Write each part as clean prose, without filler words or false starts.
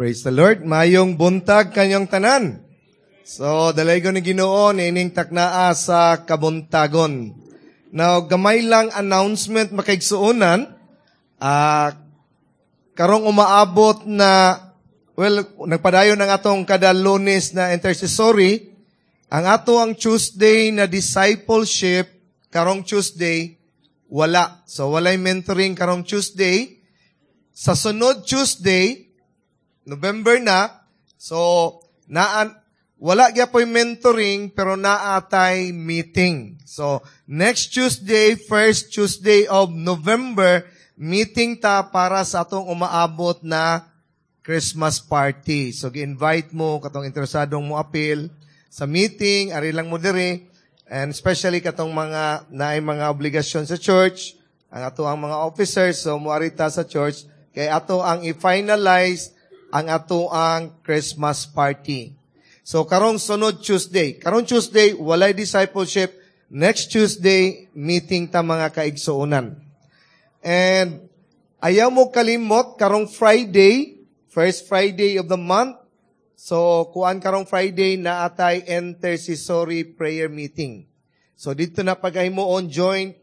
Praise the Lord. Mayong buntag kanyong tanan. So, dalaygon ni Ginoo niining taknaa sa kabuntagon. Now, gamay lang announcement, makaigsuonan. Karong umaabot na, well, nagpadayon ang atong kada Lunes na intercessory. Ang ato ang Tuesday na discipleship, karong Tuesday, wala. So, walay mentoring karong Tuesday. Sa sunod Tuesday, November na, so, naan, wala gyapoy mentoring, pero naatay meeting. So, next Tuesday, first Tuesday of November, meeting ta para sa atong umaabot na Christmas party. So, gi-invite mo, katong interesadong mo apil sa meeting, ari lang mo diri, and especially katong mga naay mga obligasyon sa church, ang ato ang mga officers, so moari ta sa church, kay ato ang i-finalize ang ato ang Christmas party. So, karong sunod Tuesday. Karong Tuesday, walay discipleship. Next Tuesday, meeting ta, mga kaigsuonan. And ayaw mo kalimot, karong Friday, first Friday of the month. So, kuan karong Friday na atay intercessory prayer meeting. So, dito na paghimuon joint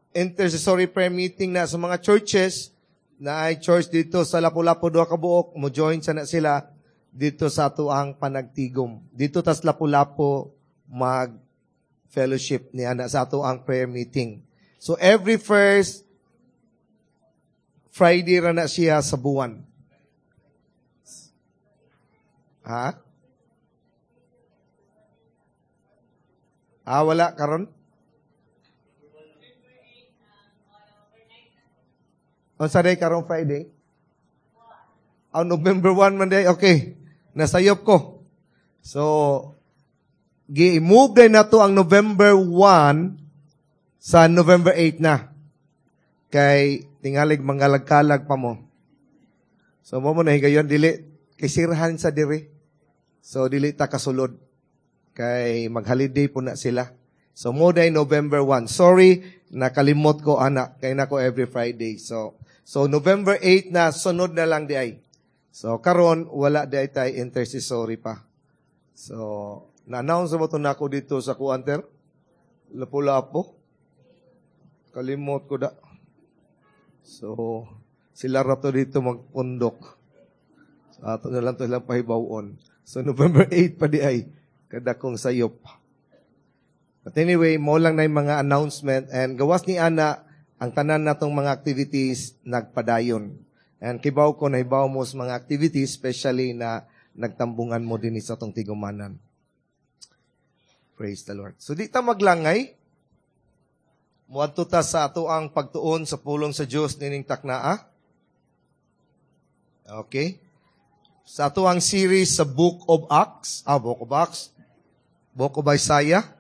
intercessory prayer meeting na sa mga churches, na ay church dito sa Lapu-Lapu duha ka buok, mo join sa na sila dito sa ato ang panagtigom. Dito tas Lapu-Lapu mag fellowship ni ana sa ato ang prayer meeting. So every first Friday ra na siya sa buwan. Ha? Ah, wala karon? Unsa day karong Friday? Oh, November 1 man day. Okay. Nasayop ko. So, gi-move day na to ang November 1 sa November 8 na. Kay tingalig mangalagkalag pa mo. So, mo na higayon, dili, kay sirhan sa diri. So, dili ta kasulod. Kay mag-holiday po na sila. So, mo day November 1. Sorry, nakalimot ko, anak. Kay nako every Friday. So November 8 na, sunod na lang di ay. So, karon wala di ay tay intercessory pa. So, na-announce mo to nako dito sa kuanter? Lapu-Lapu. Kalimot ko da. So, sila rato dito magpundok. So, ato na lang to silang pahibawon. So, November 8 pa di ay, kadakong sayop. But anyway, mo lang na yung mga announcement and gawas ni Ana, ang tanan natong mga activities nagpadayon. And kibaw ko, nahibaw mo sa mga activities, especially na nagtambungan mo din sa atong tigumanan. Praise the Lord. So di ta maglangay. Muadto ta sa ato ang pagtuon sa pulong sa Dios nining taknaa. Okay. Sa ato ang series sa Book of Acts, Book of Acts, Book of Isaiah.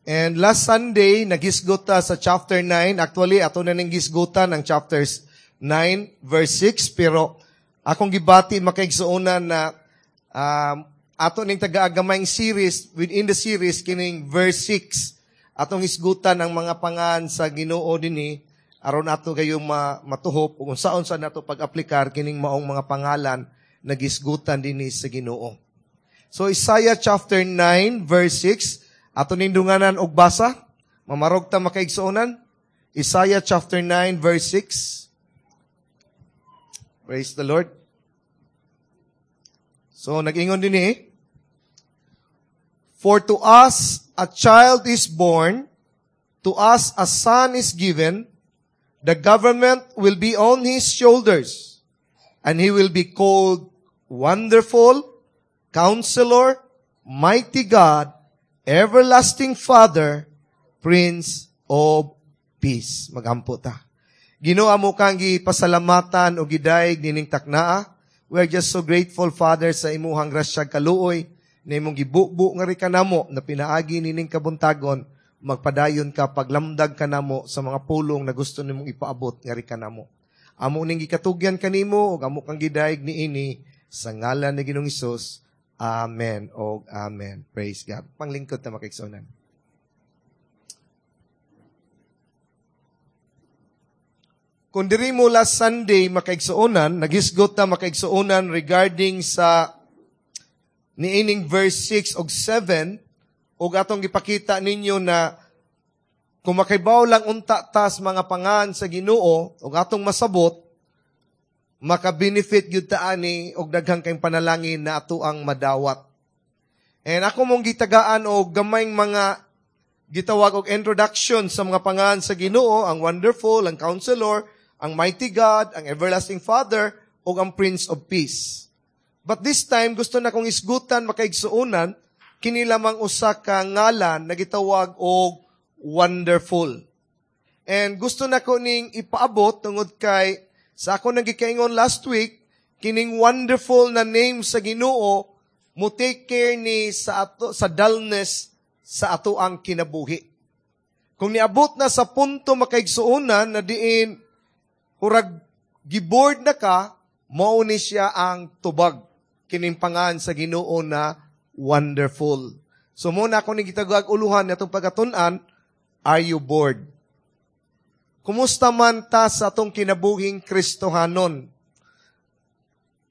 And last Sunday, nagisgot ta sa chapter 9. Actually, ato na ning gisgutan ang chapters 9, verse 6. Pero akong gibati makaigsuonan na ato ning taga-agamayng series, within the series, kining verse 6. Atong hisgutan ang mga pangan sa Ginoo dinhi aron ato kayong matuhop kung unsaon sa nato pag-aplikar kining maong mga pangalan na gisgutan dinhi sa Ginoo. So Isaiah chapter 9, verse 6. Ato ning dunganan og basa, mamarog ta makaigsuonan. Isaiah chapter 9 verse 6. Praise the Lord. So nag-ingon dinhi, "For to us a child is born, to us a son is given, the government will be on his shoulders, and he will be called Wonderful, Counselor, Mighty God, Everlasting Father, Prince of Peace." Magampo ta. Ginoo, amo kang gipasalamatan o gidayeg nining taknaa. We are just so grateful, Father, sa imuhang grasya kaluoy na imong gibubo nga ri kanamo na pinaagi nining kabuntagon, magpadayon ka paglamdag kanamo sa mga pulong na gusto nimong ipaabot nga ri kanamo. Amo ning gikatugyan kanimo ug amo kang gidayeg niini sa ngalan ni Ginoong Hesus. Amen og amen. Praise God. Panglingkod ta, makaigsuonan. Kung diri mo last Sunday, makaigsuonan, naghisgot ta, makaigsuonan, regarding sa niining verse 6 og 7, ug atong gipakita ninyo na kung makaibaw lang unta tas mga pangan sa Ginoo ug atong masabot, maka-benefit gyud ta ani og daghang kay panalangin na ato ang madawat. And ako mong gitagaan og gamayng mga gitawag og introduction sa mga pangan sa Ginoo, ang Wonderful, ang Counselor, ang Mighty God, ang Everlasting Father, ug ang Prince of Peace. But this time, gusto na kong isgutan, makaigsuonan, kini lamang usa ka ngalan na gitawag og Wonderful. And gusto na ko ning ipaabot tungod kay sa ako nang gikaingon last week, kining wonderful na name sa Ginoo mo take care ni sa ato, sa dullness sa ato ang kinabuhi. Kung niabot na sa punto, makaigsuonan, na diin hurag gibored na ka, mao ni siya ang tubag, kining pangan sa Ginoo na Wonderful. So muna ako ni gitagag uluhan atong pagkatun-an, are you bored? Kumusta man ta sa atong kinabuhing Kristohanon?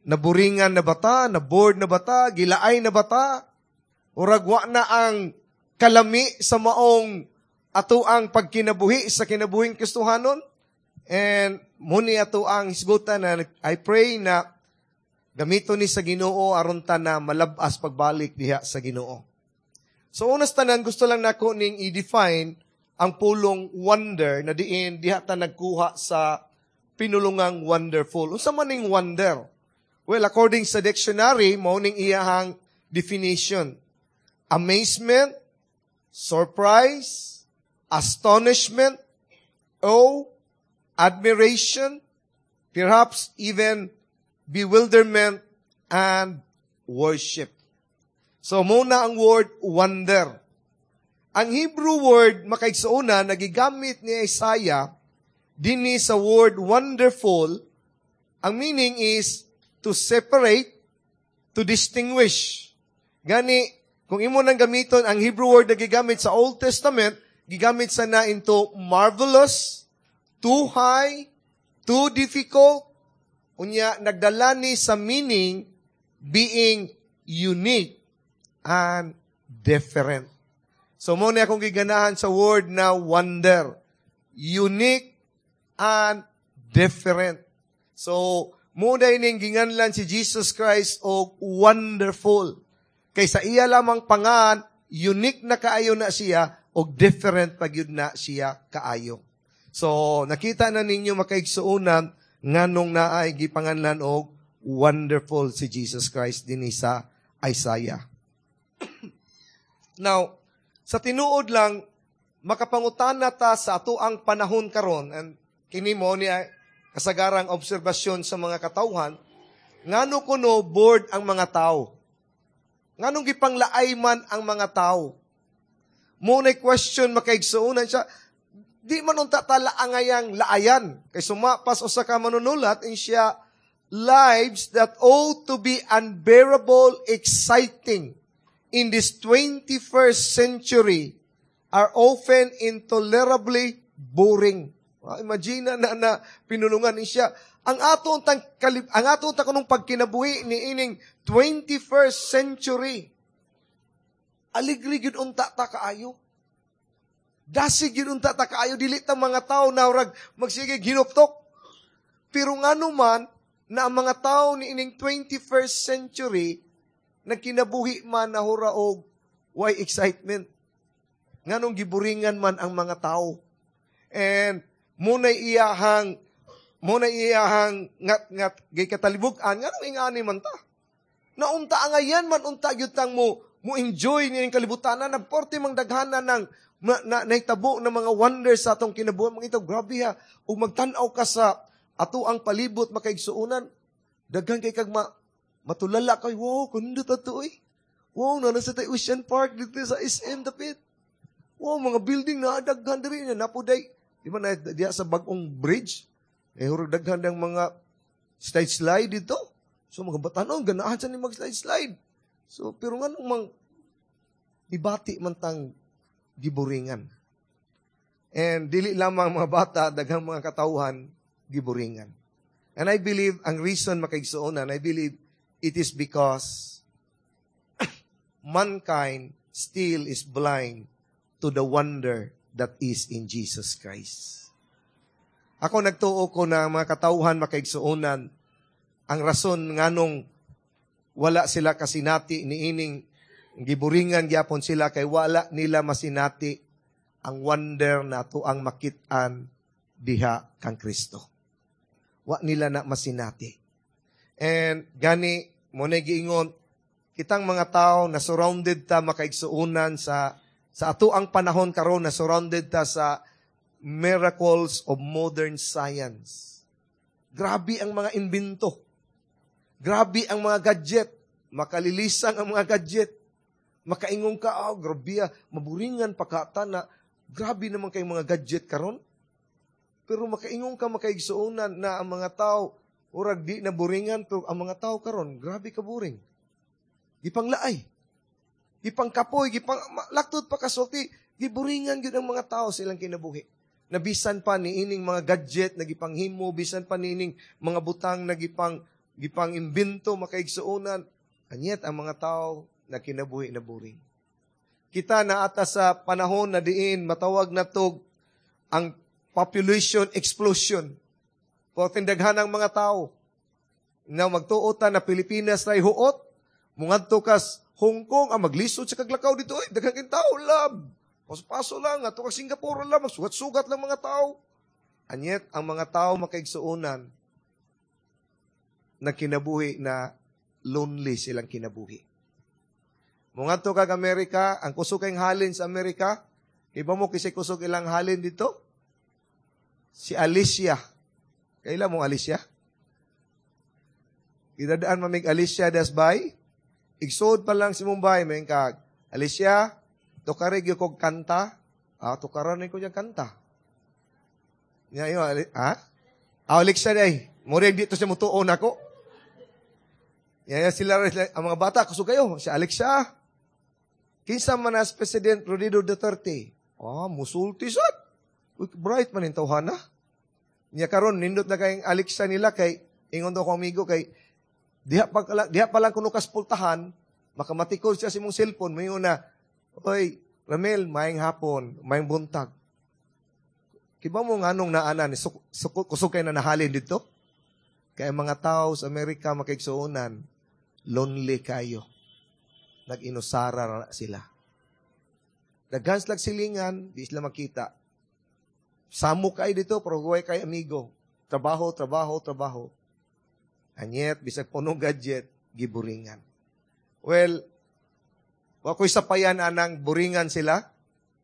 Naburingan na ba ta? Na-bored na ba ta? Gilaay na ba ta? Urag wa na ang kalami sa maong ato ang pagkinabuhi sa kinabuhing Kristohanon? And muni ato ang hisgutan na I pray na gamito ni sa Ginoo aron ta na malabas pagbalik diha sa Ginoo. So unas tanan, gusto lang nako ning i-define ang pulong wonder na diin diha ta nagkuha sa pinulungang wonderful. Unsa man ning wonder? Well, according sa dictionary, mao ning iyahang definition. Amazement, surprise, astonishment, awe, admiration, perhaps even bewilderment and worship. So, muna ang word wonder. Ang Hebrew word, makaigsuona, na gigamit ni Isaiah dinhi sa word wonderful, ang meaning is to separate, to distinguish. Gani, kung imo nang gamiton ang Hebrew word na gigamit sa Old Testament, gigamit sa na into marvelous, too high, too difficult, unya nagdala ni sa meaning being unique and different. So mo ni akong giganahan sa word na wonder. Unique and different. So, mo ning ginganlan si Jesus Christ og Wonderful. Kay sa iya lamang pangan, unique na kaayo na siya og different pagyud na siya kaayo. So, nakita na ninyo, makaigsuonan, nganong naay gipanganlan og Wonderful si Jesus Christ dinhi sa Isaiah. Now, sa tinuod lang, makapangutana ta sa ato ang panahon karon, and kini mo niya kasagarang obserbasyon sa mga katawhan, ngano kuno bored ang mga tao? Nganong gipanglaay man ang mga tao? Mo na question, makaigsuonan siya, di man unta ta laangayang laayan. Kay sumapas usa ka manunulat, in siya, lives that ought to be unbearable exciting in this 21st century are often intolerably boring. Imagine na na, na pinulungan ni siya. Ang ato tang kunong pagkinabuhi ni ining 21st century. Aligri gyud unta ta kaayo. Dasig gyud unta ta kaayo, dili ta mga tao na urag magsige ginuptok. Pero ngano man na ang mga tao ni ining 21st century nagkinabuhi man na hura og why excitement? Nganong giburingan man ang mga tao? And muna iyahang ngat ngat gikatalibug-an nganong ingani man ta? Naunta angayan man unta gyud tang mo mo enjoy ni kalibutan na porte mang daghana ng na nahitabo ng mga wonders sa atong kinabuhi. Mga ito, grabe ha. Ug magtan-aw ka sa ato ang palibot, makaigsuonan, daghan kay kag matulala kay, wow, kundo ta to eh. Wow, na nasa tay Ocean Park dito sa SM dapit. Wow, mga building na daghan diri na napuday. Di ba na diya sa bagong bridge? Eh, hurog daghan ng mga slide slide dito. So mga batanon ganahan sa ni mag slide slide. So pero nga nung mang ibati man tang giburingan. And dili lamang mga bata, daghang mga katawhan Giburingan. And I believe, ang reason, makaigsuonan, I believe it is because mankind still is blind to the wonder that is in Jesus Christ. Ako, nagtuo ko na mga katauhan, makaigsuonan, ang rason nganong wala sila kasinati niining giburingan gyapon sila kay wala nila masinati ang wonder na ang makit-an diha kang Kristo. Wa nila na masinati. And gani mo na giingon kitang mga tao na surrounded ta, makaigsuonan, sa ato ang panahon karon na surrounded ta sa miracles of modern science. Grabe ang mga imbento. Grabe ang mga gadget. Makalilisang ang mga gadget. Makaingon ka, "Oh, grabe ah, maburingan pa ka na, grabe naman kay mga gadget karon." Pero makaingon ka, makaigsuonan, na ang mga tao, urag di na buringan, pero ang mga tao karon, grabe ka boring. Gipanglaay. Gipangkapoy, gipang, laktod pa kasulti, giburingan gyud ang mga tao sa ilang kinabuhi. Na bisan pa niining mga gadget na gipanghimo, bisan pa niining mga butang na gipang imbento, makaigsuonan, and yet ang mga tao na kinabuhi na boring. Kita na ata sa panahon na diin matawag na tog ang population explosion. Porteng daghan ang mga tao. Na magtuo ta na Pilipinas ray huot, mungadto kas Hong Kong, ang maglisod sa kaglakaw dito, ay, daghang king tao, lab. Paso-paso lang, ato kag Singapore lang, magsugat-sugat lang mga tao. And yet, ang mga tao, makaigsuonan, na kinabuhi na lonely silang kinabuhi. Mungadto kag Amerika, ang kusog kay halin sa Amerika, iba mo kisay kusog ilang halin dito? Si Alicia. Kaila mo Alicia? Gidadaan mamig Alicia das bay. Igsood pa lang si Mumbai, may kag, "Alicia, tukari gyud kog kanta." "Ah, tukaran ko niyang kanta." Nya yo, ha? Ah, Alexa day. Murag dito siya mutuon ako. Ya, sila, ang mga bata, kusog kayo. Si Alexa. "Kinsa man as President Rodrigo Duterte?" "Ah, musulti sad. Uy, bright man yung tawhana." Niya karon nindot na kayong Alexa nila kay ingon daw ko amigo kay diha pa lang kuno kas pultahan, makamatikod siya sa imong cellphone, moingon na, "Oy, Ramel, maayong hapon, maayong buntag." Kiba mo nganong naana ni kusog kay na nahalin dito? Kay ang mga tao sa Amerika, makaigsuonan, lonely kayo. Nag-inusara ra sila. Daghan silang silingan, di sila makita. Samo kay dito, pero huwag kay amigo. Trabaho, trabaho, trabaho. And yet, bisag puno gadget, giburingan. Well, wa ko'y sapayan anang buringan sila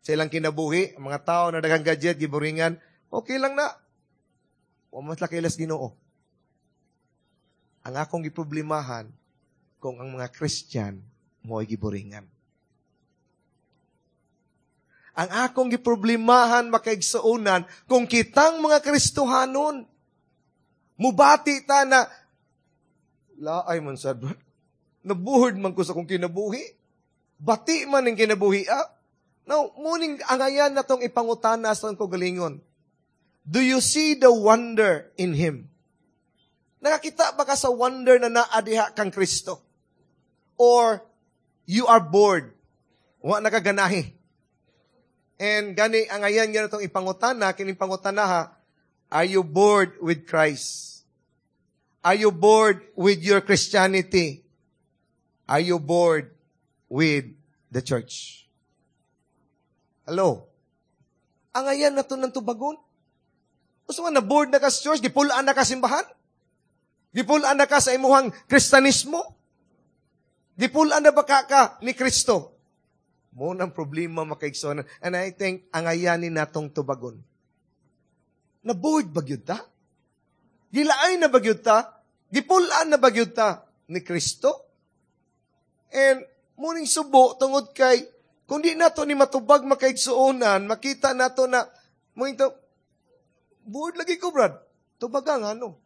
sa ilang kinabuhi, ang mga tao na daghang gadget, giburingan, okay lang na. Wa mas lakilas Ginoo. Ang akong giproblemahan, kung ang mga Christian mo'y giburingan. Ang akong giproblemahan, makaigsuonan, kung kitang mga Kristohanon, mubati ta na, "Laay man sad, nabuhod man ko sa akong kinabuhi. Bati man ang kinabuhi, ah." Now, muning angayan na tong ipangutana sa akong galingon. Do you see the wonder in Him? Nakakita ba ka sa wonder na naa diha kang Kristo? Or you are bored? Wa nakaganahi. And gani ang ayan nga itong ipangutana, kining pangutana ha, are you bored with Christ? Are you bored with your Christianity? Are you bored with the church? Hello? Ang ayan na to ng tubagon. Gusto nga na bored na ka sa church, gipulaan na ka simbahan? Gipulaan na ka sa imuhang Kristanismo? Gipulaan na ba ka ni Kristo? Mo nang problema, makaigsoon. And I think, ang ayanin natong tubagon. Na-bored ba gyud ta? Gilaay na ba gyud ta? Gipulaan na ba gyud ta ni Kristo? And muning subo tungod kay kung di nato ni matubag, makaigsuonan, makita nato na mo ito, "Bored lagi ko, brad." Tubaga nga ano.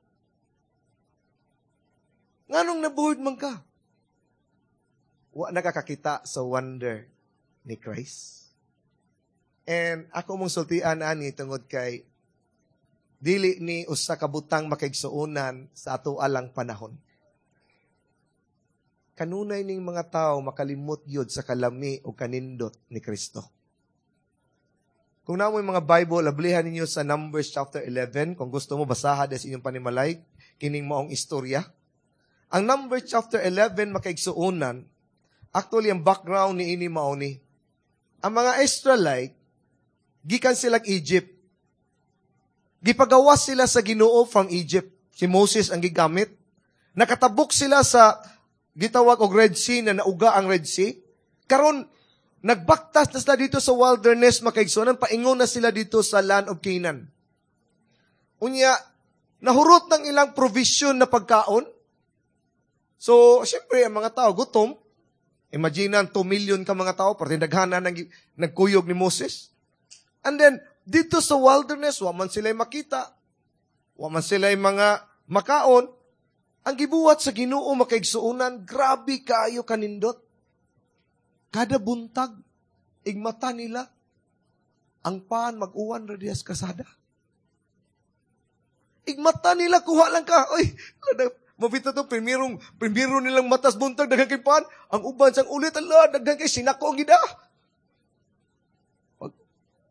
Nganong na-bored man ka? Wa nakakakita sa wonder ni Christ. And ako mong sultian ani tungod kay Dili ni usa ka butang, makaigsuonan, sa ato alang panahon. Kanunay ning mga tao makalimot gyud sa kalami o kanindot ni Kristo. Kung naa moy mga Bible, ablihan ninyo sa Numbers chapter 11. Kung gusto mo, basaha des inyong panimalay, kining maong istorya. Ang Numbers chapter 11, makaigsuonan, actually, ang background ni ini mao ni. Ang mga Israelite, gikan sila Egypt. Gipagawas sila sa Ginoo from Egypt. Si Moses ang gigamit. Nakatabok sila sa gitawag og Red Sea na nauga ang Red Sea. Karon nagbaktas na sila dito sa wilderness, makaigsuonan, paingon na sila dito sa land of Canaan. Unya, nahurot ng ilang provision na pagkaon. So, siyempre, ang mga tao gutom. Imagine, 2 million ka mga tao, parte daghana nang nagkuyog ni Moses. And then, dito sa wilderness, wa man sila makita. Wa man sila mga makaon. Ang gibuhat sa Ginoo, makaigsuonan, grabe kaayo kanindot. Kada buntag, igmata nila, ang pan mag-uwan ra dihas kasada. Igmata nila, kuha lang ka. Oy, mabita to, primero nilang matas buntag, daghan kay pan. Ang uban sang ulit, ala, daghan kay sinako ang gida. Pag,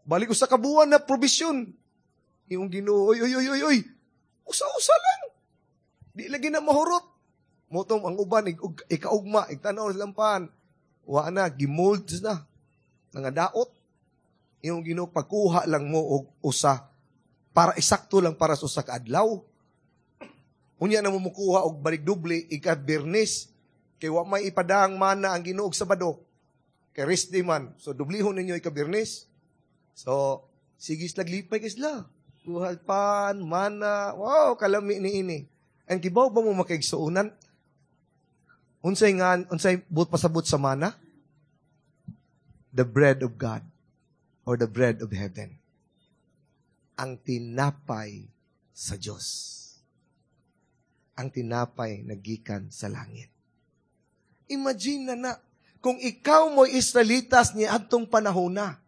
balik ko sa kabuan na provision. Yung Ginoo, oy, oy, oy, oy, oy. Usa-usa lang. Di lagi na mahurot. Motong ang uban, ikaugma, igtanaw silang pan. Wa na, gimold na. Nangadaot. Yung Ginoo, pagkuha lang mo og usa. Para isakto lang para sa usa ka adlaw. Unya na mo mukuha og balik doble, ika-Biyernes. Kay wa may ipadang mana ang Ginoo og Sabado. Kay rest day man. So, dublihon ninyo ika-Biyernes. So, sige sila, lipay kay sila. Kuha pan, mana, wow, kalami ni ini. Ang kibaw ba mo, makaigsuonan? Unsay nga, unsay but pasabot sa mana? The bread of God or the bread of heaven. Ang tinapay sa Diyos. Ang tinapay na gikan sa langit. Imagine na na, kung ikaw mo'y Israelitas ni adtong panahon na.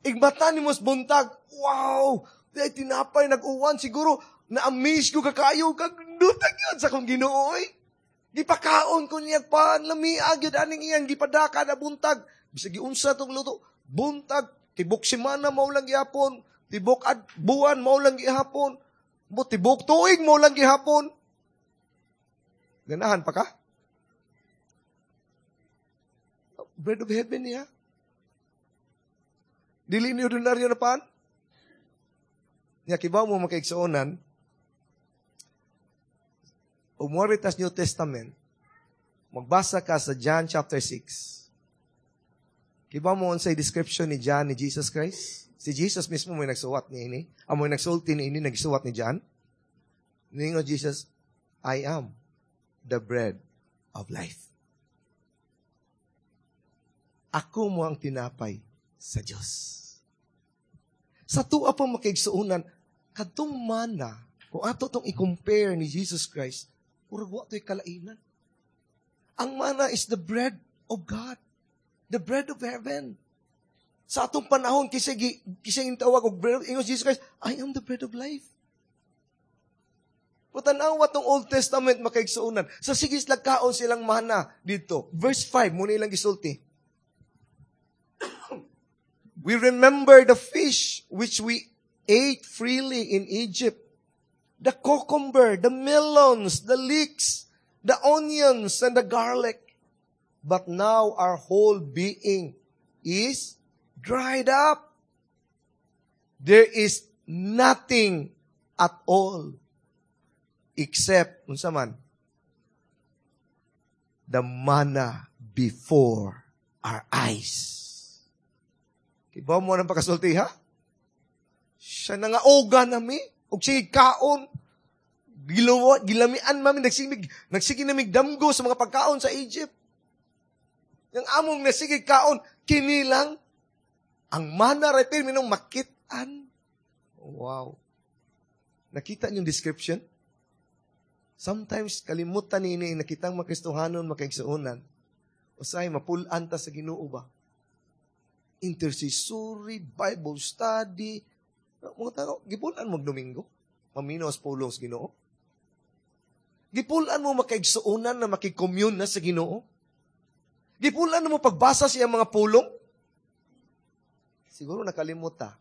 Igmata ni mos buntag, wow, ay tinapay nag-uwan, siguro na-amaze ko kakayo, kag dutag yun sa kong Ginoo, oy. Gipakaon ko niya pan, lamiag yun aning iyang gipadaka na buntag. Bisag giunsa tong luto, buntag, tibok semana mao lang gihapon, tibok ad buwan mao lang gihapon, mo tibok tuig mao lang gihapon. Ganahan pa ka? Bread of heaven niya. Dili ni ordinaryo na pan. Nya kibaw mo, makaigsuonan, umoritas New Testament, magbasa ka sa John chapter 6. Kibaw mo unsay description ni John ni Jesus Christ? Si Jesus mismo may nagsuwat ni ini. Amo nagsulti ni ini, nagsuwat ni John. Ningo Jesus, "I am the bread of life." Ako mo ang tinapay sa Diyos. Sa tuwa pa, makaigsuonan, kadtong mana, kung ato tong i-compare ni Jesus Christ, murag wa to'y kalainan. Ang mana is the bread of God. The bread of heaven. Sa atong panahon, kisa yung tawag og bread, ingon Jesus Christ, "I am the bread of life." Patanawa tong Old Testament, makaigsuonan. Sa sigis lagkaon silang mana dito. Verse 5, muna ilang gisulti. "We remember the fish which we ate freely in Egypt, the cucumber, the melons, the leeks, the onions, and the garlic. But now our whole being is dried up. There is nothing at all except," unsa man? "The manna before our eyes." Kibaw mo ng pagkasulti, ha? Siya na nga oga nami, og sige kaon, giluwa, gilamian mami, nagsige nami damgo sa mga pagkaon sa Egypt. Yang among nasige kaon, kinilang, ang mana ra pirmi nung makit-an. Wow. Nakita niyo yung description? Sometimes, kalimutan nini, nakitang makristohanon, makaigsuonan. Usay, mapulan ta sa Ginoo ba? Intercessory, Bible study, Mga tao, gipulan mo Domingo? Maminaw sa pulong sa Ginoo? Gipulan mo makaigsuonan na makig-commune na sa Ginoo? Gipulan mo pagbasa sa iyang mga pulong? Siguro nakalimot ta.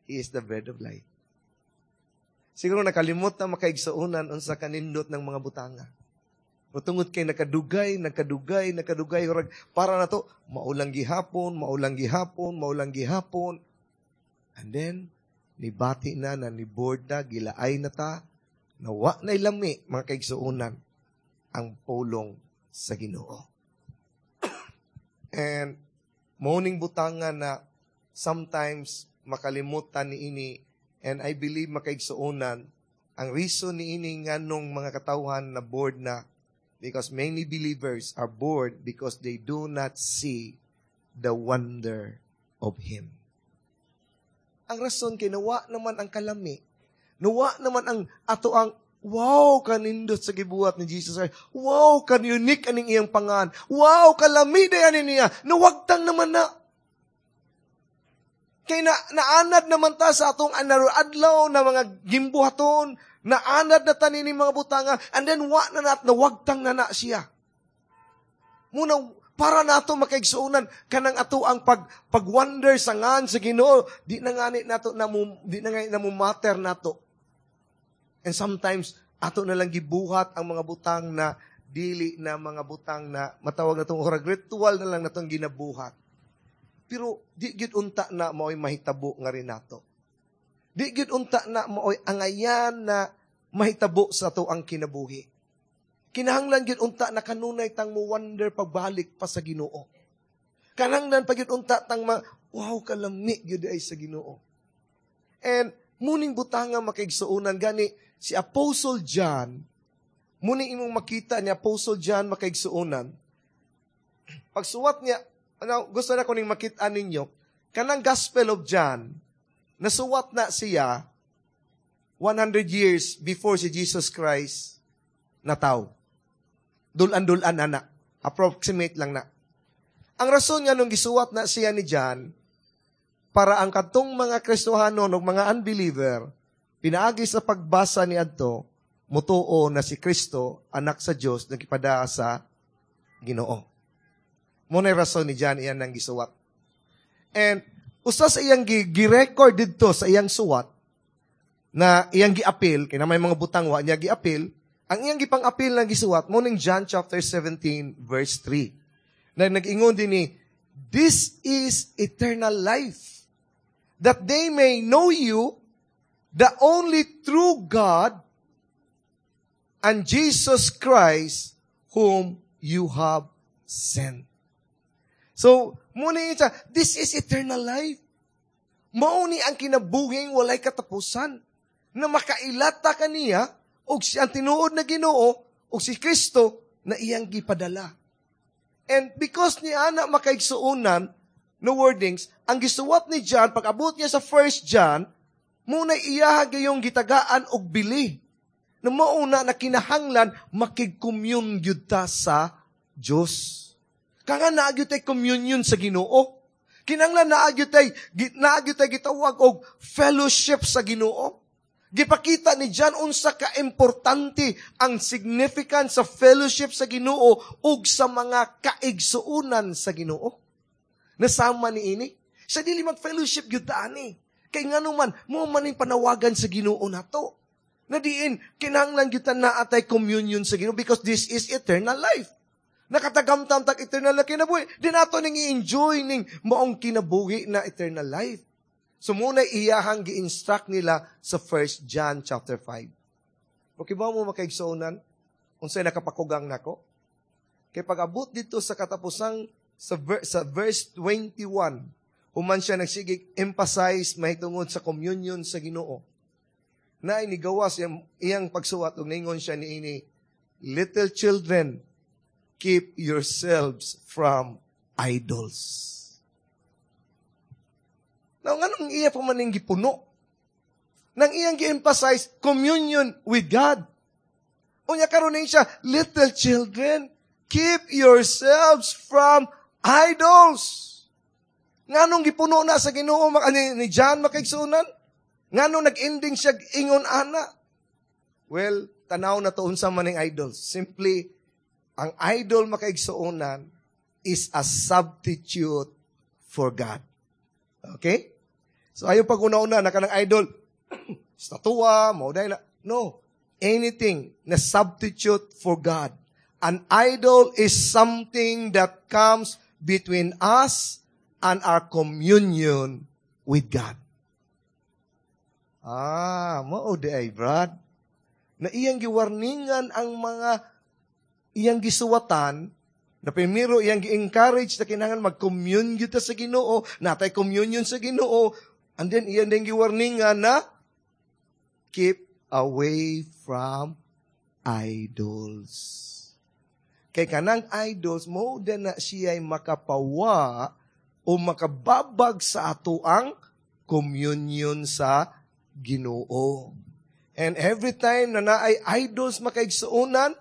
He is the bread of life. Siguro nakalimot na makaigsuonan unsa kanindot ng mga butanga. O tungod kay nakadugay, nakadugay, nakadugay, murag para na to, maulang gihapon, maulang gihapon, maulang gihapon. And then, nibati na, na ni-bored na, gilaay na ta, nawa na ilami, mga kaigsuonan, ang pulong sa Ginoo. And, mao ning butanga na sometimes makalimutan ni ini, and I believe, makaigsuonan, ang reason ni ini nganong mga katawhan na bored na, because many believers are bored because they do not see the wonder of Him. Ang rason kay nawa naman ang kalami. Nawa naman ang ato ang wow kanindot sa gibuhat ni Jesus Christ. Wow kan unique aning iyang pangan. Wow kalami day ani niya. Nawagtang naman na. Kay na naanad naman ta sa atong adlaw na mga gimbuhaton, naanad na tanin mga butanga, and then wa na nat nawagtang na na siya. Muna para nato makaigsuonan kanang ato ang pag-wonder sa ngan sa Ginoo, di na ngani nato na di na ngani na mo matter nato. And sometimes ato na lang gibuhat ang mga butang na dili na mga butang na matawag natong orag ritual na lang natong ginabuhat. Pero di gyud unta na mao'y mahitabo nga rin nato. Di gyud unta na mao'y angayan na mahitabo sa ato ang kinabuhi. Kinahanglan gyud unta na kanunay tang mo wonder pagbalik pa sa Ginoo. Kananglan pa gyud unta tang ma, wow kalami gyud ay sa Ginoo. And muning butanga, makaigsuonan, gani si Apostle John, muning imong makita ni Apostle John, makaigsuonan. Pagsuwat niya, ano, gusto na ko ning makita ninyo, kanang Gospel of John, nasuwat na siya 100 years before si Jesus Christ nataw. Dulan-dulan ana. Approximate lang na. Ang rason nga nung gisuwat na siya ni John, para ang katong mga Kristohano ug mga unbeliever, pinaagi sa pagbasa ni adto, mutuo na si Kristo, anak sa Dios, nagpadaa sa Ginoo. Mao na rason ni John iyan nang gisuwat. And usa sa iyang gi-record didto sa iyang suwat na iyang giapil, kay na may mga butang wa niya giapil, ang iyang gipang-apil na gisuwat mo ning John chapter 17 verse 3. Na nag-ingon din ni, "This is eternal life, that they may know you, the only true God, and Jesus Christ, whom you have sent." So, muna siya, this is eternal life. Mao ni ang kinabuhing walay katapusan na makailata kaniya og si ang tinuod na Ginoo og si Kristo na iyang gipadala. And because ni ana, makaigsuonan, no wordings, ang gisuwat ni John, pag abot niya sa First John, muna iyaha gayong gitagaan og bili. Na mauna na kinahanglan makig-commune gyud ta sa Dios. Kanga naa gyud tay communion sa Ginoo. Kinahanglan naa gyud tay gitawag og fellowship sa Ginoo. Gipakita ni John unsa ka importante ang significance sa fellowship sa Ginoo ug sa mga kaigsuonan sa Ginoo. Nasama ni ini. Sa dili mag-fellowship gyud ta ani. Kay ngano man mo man ning panawagan sa Ginoo nato. Na diin kinahanglan gyud ta naa tay communion sa Ginoo because this is eternal life. Nakatagamtam tag eternal na kinabuhi. Di nato ning i-enjoy ning maong kinabuhi na eternal life. So muna iyahang gi-instruct nila sa 1 John chapter 5. Okay ba mo, makaigsuonan? Unsay nakapakugang nako? Kay pag-abot dito sa katapusang sa verse 21, human siya nagsigig emphasize mahitungod sa communion sa Ginoo. Na inigawas iyang pagsuwat ug ningon siya niini, "Little children, keep yourselves from idols." Now, nganong iya pa man ning gipuno? Nang iyang gi-emphasize communion with God. Unya karon siya, "Little children, keep yourselves from idols." Nganong gipuno na sa Ginoo ni John, makaigsuonan? Nganong nag-ending siya ingon ana? Well, tanaw na to unsa man ning idols. Simply, ang idol, makaigsuonan, is a substitute for God. Okay? So ayaw pag una-una na kanang idol, statua, mo na. No. Anything na substitute for God. An idol is something that comes between us and our communion with God. Ah, mao di ay, Brad. Na iyang giwarningan ang mga iyang gisuwatan, na primero iyang gi-encourage na kinahanglan mag-commune gyud ta sa Ginoo, natay communion sa Ginoo, and then iyang din giwarningan na keep away from idols. Kay kanang idols mo din na siya ay makapawa o makababag sa ato ang communion sa Ginoo. And every time na naay idols, makaigsuonan,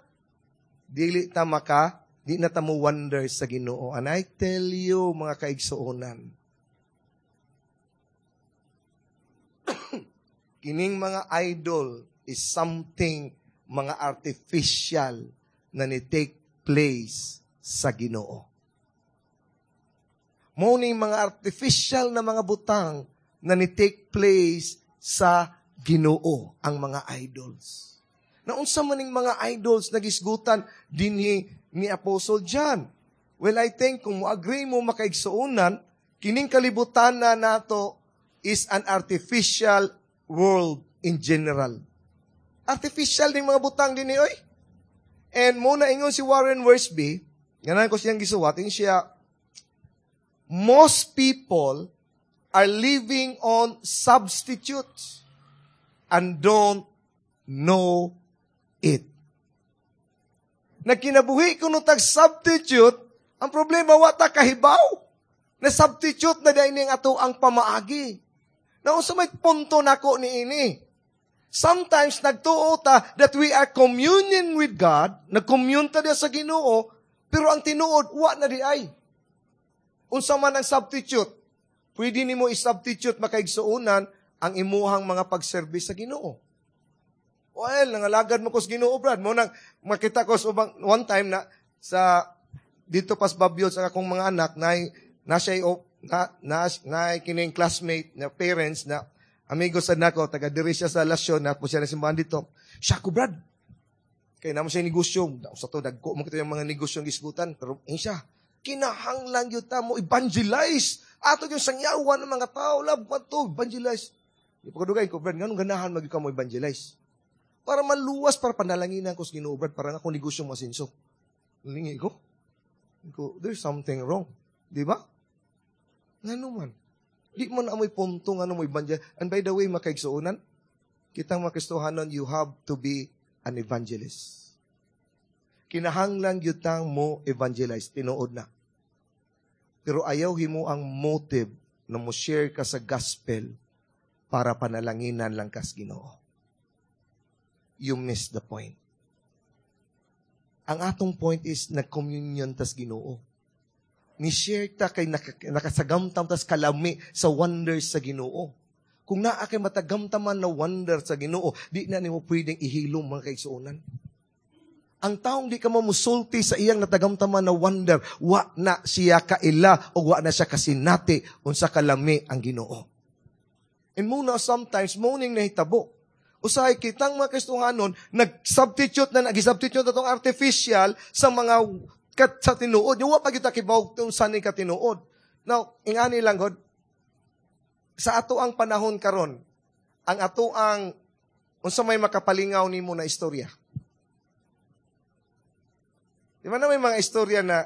dili ta maka, di na ta mo wonder sa Ginoo. And I tell you, mga kaigsuonan, kining mga idol is something mga artificial na ni take place sa Ginoo. Mo ning mga artificial na mga butang na ni take place sa Ginoo ang mga idols. Na unsa man ning mga idols na gisgutan dinhi ni Apostle John? Well, I think kung mo-agree mo, makaigsuonan, kining kalibutan na nato is an artificial world in general. Artificial ning mga butang dinhi oy. And mo na ingon si Warren Wiersbe, ganan ko siyang gisuwat, siya, "Most people are living on substitutes and don't know it." Nagkinabuhi kuno tag substitute, ang problema wa ta kahibaw. Na substitute na dahil ning ato ang pamaagi. Na unsa may punto nako ni ini? Sometimes nagtuo ta that we are communion with God, nagcommune ta sa Ginoo, pero ang tinuod wa na di ay. Unsa man ang substitute? Pwede nimo i-substitute, makaigsuonan, ang imuhang mga pagserbis sa Ginoo. Well, nangalagad mo ko sa Ginoo, Brad. Mo nang makita ko sa ubang one time na sa dito pas Babyol sa akong mga anak na na siya na na, na kining classmate na parents na amigo sa nako, taga diri siya sa Lasyon na po siya na simbahan dito. Siya ko, Brad. Kay namo siya negosyo. Sa to dagko mo kita yung mga negosyo gisgutan, pero eh, siya kinahanglan gyud ta mo evangelize. Ato yung sangyawan ng mga tao, lab man to evangelize. Di pa kadugay ko, "Brad, nganong ganahan magyud ka mo evangelize?" "Para maluwas, para panalanginan ko sa Ginoo, Brad, para nga akong negosyo masinso." Lingi ko. Ko, there's something wrong. Di ba? Ngano man? Di mo na amoy punto nga mo evangelize. And by the way, makaigsuonan, kitang mga Kristohanon, you have to be an evangelist. Kinahanglan gyud tang mo evangelize, tinuod na. Pero ayaw himo ang motive na mo share ka sa gospel para panalanginan lang kas Ginoo. You miss the point. Ang atong point is nag-communion tas Ginoo. Ni-share ta kay nakasagamtam tas kalami sa wonders sa Ginoo. Kung naa kay matagamtaman na wonder sa Ginoo, di na nimo pwedeng ihilom, mga kaigsuonan. Ang taong di ka mo musulti sa iyang natagamtaman na wonder, wa na siya kaila o wa na siya kasinati unsa kalami ang Ginoo. And muna sometimes morning nahitabo. Usahay kitang mga Kristohanon, nag-substitute na, nag-substitute na itong artificial sa mga kat, sa tinuod. Yung wa pa kita kibaw kung saan ni katinuod. Now, ingani lang God, sa ato ang panahon karon, ang ato ang unsa may makapalingaw nimo na istorya? Di ba na may mga istorya na